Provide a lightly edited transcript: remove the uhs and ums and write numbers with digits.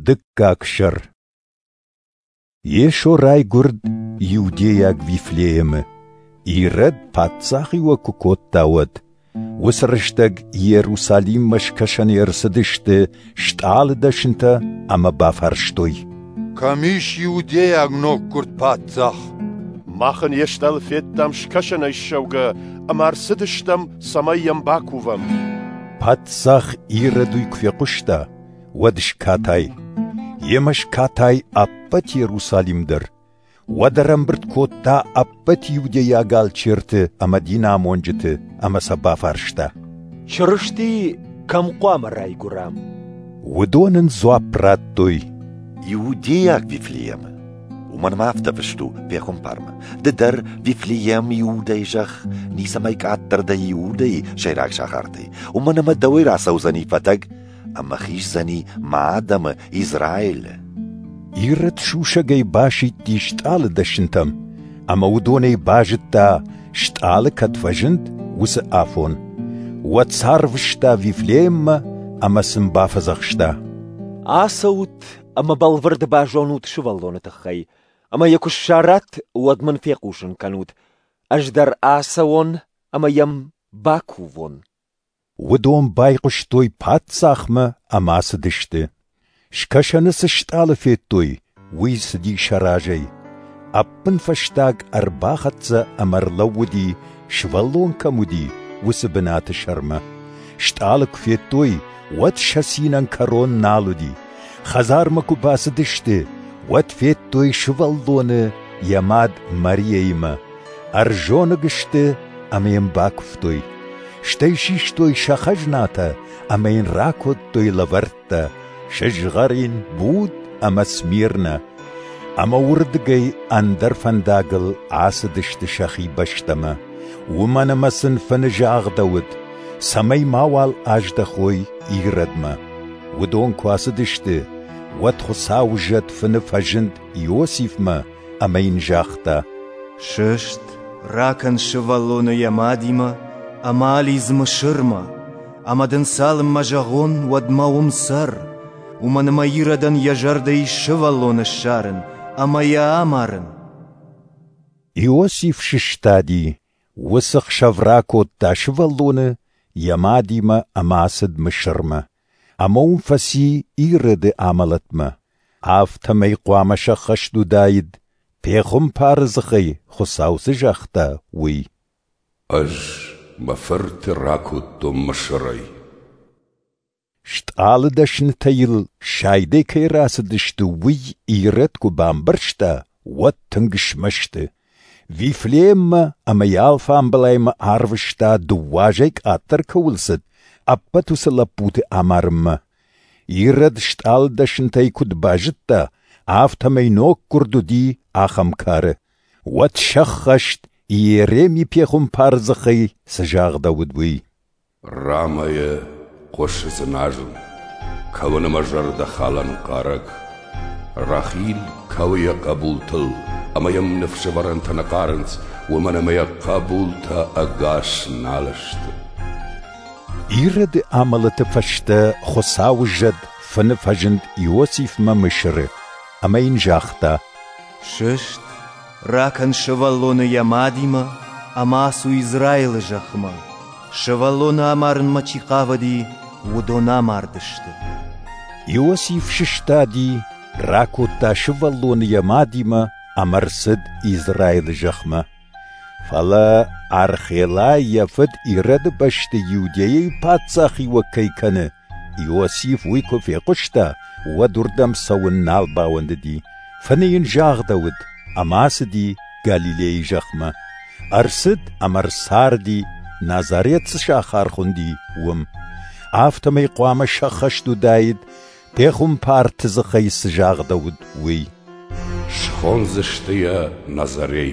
Дыккаг сӕр. Йесо райгуырд иудейаг Вифлеемы, Ирод паддзахиуӕг куы кодта, уӕд. Уыцы рӕстӕг Иерусалиммӕ скӕсӕны ӕрцыдысты стъалыдӕснытӕ ӕмӕ бафарстой: Кӕм ис иудейаг ноггуырд паддзах? Мах ын йе стъалы федтам скӕсӕнӕй ссӕугӕ ӕмӕ ӕрцыдыстӕм, цӕмӕй йӕм бакувӕм. Паддзах Ирод уый куы фехъуыста, уӕд скатай. Йемӕ скатай ӕппӕт Иерусалим дӕр. Уӕд ӕрӕмбырд кодта ӕппӕт иудейаг алчерты ӕмӕ динамонджыты ӕмӕ сӕ бафарста: Чырысти кӕм хъуамӕ райгуыра? Уыдон ын дзуапп радтой: Иудейаг Вифлеемы. Уымӕн ӕмӕ афтӕ фыст у пехуымпармӕ: Ды дӕр, Вифлеем, Иудӕйы зӕхх, ницӕмӕй къаддӕр дӕ Иудӕйы сӕйраг сахартӕй, уымӕн ӕмӕ дӕуӕй рацӕудзӕни фӕтӕг ӕмӕ хиздзӕни мӕ адӕмы, Израилы. Ирод сусӕгӕй басидти стъалыдӕснытӕм, ӕмӕ уыдонӕй базыдта, стъалы кӕд фӕзынд, уыцы афон. Уӕд сӕ арвыста Вифлееммӕ ӕмӕ сын бафӕдзӕхста: Ацӕут ӕмӕ бӕлвырд базонут сывӕллоны тыххӕй, ӕмӕ йӕ куы ссарат, уӕд мын фехъусын кӕнут. Ӕз дӕр ацӕуон ӕмӕ йӕм бакувон. Уыдон байхъуыстой паддзахмӕ ӕмӕ ацыдысты. Скӕсӕны цы стъалы федтой, уый цыди сӕ разӕй. Ӕппынфӕстаг ӕрбахӕццӕ ӕмӕ ӕрлӕууыди, сывӕллон кӕм уыди, уыцы бынаты сӕрмӕ. Стъалы куы федтой, уӕд сӕ цинӕн кӕрон нал уыди. Хӕдзармӕ куы бацыдысты, уӕд федтой сывӕллоны йӕ мад Мариаимӕ. Ӕрзоныг сты ӕмӕ йын бакуывтой. Стӕй систой сӕ хӕзнатӕ ӕмӕ йын ракодтой лӕвӕрттӕ: сызгъӕрин, буд ӕмӕ смирнӕ. Ӕмӕ уырдыгӕй ӕндӕр фӕндагыл ацыдысты сӕхи бӕстӕмӕ, уымӕн ӕмӕ сын фыны загъдӕуыд, цӕмӕй мауал аздӕхой Иродмӕ. Уыдон куы ацыдысты, уӕд Хуыцауы зӕд фыны фӕзынд Иосифмӕ ӕмӕ йын загъта: Сыст, ракӕн сывӕллоны йӕ мадимӕ ӕмӕ алидз Мысырмӕ, ӕмӕ дын цалынмӕ зӕгъон, уӕдмӕ уым цӕр, уымӕн ӕмӕ Иродӕн йӕ зӕрдӕ ис сывӕллоны ссарын ӕмӕ йӕ амарын. Иосиф сыстади, уыцы хсӕв ракодта сывӕллоны йӕ мадимӕ ӕмӕ ацыд Мысырмӕ. Ӕмӕ уым фӕци Ироды амӕлӕтмӕ. Афтӕмӕй хъуамӕ сӕххӕст уыдаид, пехуымпары дзыхӕй Хуыцау цы загъта, уый. Ӕз мӕ фырты ракодтон Мысырӕй. Стъалыдӕснытӕ йыл сайдӕй кӕй рацыдысты, уый Ирод куы бамбӕрста, уӕд тынг смӕсты. Вифлееммӕ ӕмӕ йӕ алфамбылаймӕ арвыста, дыууӕ азӕй къаддӕр кӕуыл цыд, ӕппӕт уыцы лӕппуты амарынмӕ. Ирод стъалыдӕснытӕй куыд базыдта, афтӕмӕй ноггуырд уыди ахӕм кары. Уӕд сӕххӕст, Иереми пехуымпары дзыхӕй цы загъдӕуыд, уый. Рамайы хъуысы дзыназын, кӕуын ӕмӕ зӕрдӕхалӕн хъарӕг. Рахил кӕуы йӕ хъӕбултыл, ӕмӕ йӕм ныфсӕвӕрӕнтӕ нӕ хъарынц, уымӕн ӕмӕ йӕ хъӕбултӕ ӕгас нал сты. Ироды амӕлӕты фӕстӕ Хуыцауы зӕд фыны фӕзынд Иосифмӕ Мысыры ӕмӕ йын загъта: Сыст, ракӕн сывӕллоны йӕ мадимӕ ӕмӕ ацу Израилы зӕхмӕ. Сывӕллоны амарынмӕ чи хъавыди, уыдон амардысты. Иосиф сыстади, ракодта сывӕллоны йӕ мадимӕ ӕмӕ ӕрцыд Израилы зӕхмӕ. Фӕлӕ Архелай йӕ фыд Ироды бӕсты Иудейӕйы паддзахиуӕг кӕй кӕны, Иосиф уый куы фехъуыста, уӕд уырдӕм цӕуын нал бауӕндыди. Фыны йын загъдӕуыд, ӕмӕ ацыди Галилейы зӕхмӕ. Ӕрцыд ӕмӕ ӕрцарди, Назарет цы сахар хуынди, уым. Афтӕмӕй хъуамӕ сӕххӕст уыдаид, пехуымпарты дзыхӕй цы загъдӕуыд, уый. Схондзысты йӕ Назарей.